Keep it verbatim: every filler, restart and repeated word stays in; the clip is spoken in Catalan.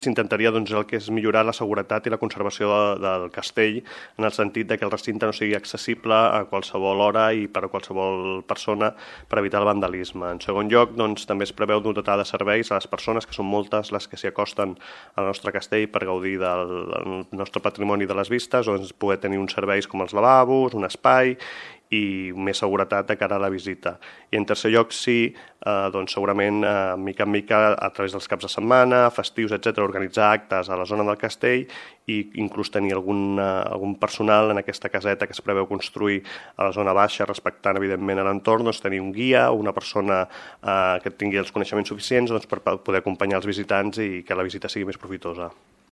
s'intentaria doncs, el que és millorar la seguretat i la conservació de, del castell, en el sentit de que el recinte no sigui accessible a qualsevol hora i per a qualsevol persona per evitar el vandalisme. En segon lloc, doncs, també es preveu dotar de serveis a les persones, que són moltes les que s'hi acosten al nostre castell per gaudir del, del nostre patrimoni de les vistes, o doncs, poder tenir uns serveis com els lavabos, un espai i més seguretat de cara a la visita. I en tercer lloc, sí, eh, doncs segurament, eh, mica en mica, a través dels caps de setmana, festius, etcètera, organitzar actes a la zona del castell i inclús tenir algun, eh, algun personal en aquesta caseta que es preveu construir a la zona baixa, respectant, evidentment, l'entorn, doncs tenir un guia o una persona eh, que tingui els coneixements suficients doncs, per poder acompanyar els visitants i que la visita sigui més profitosa.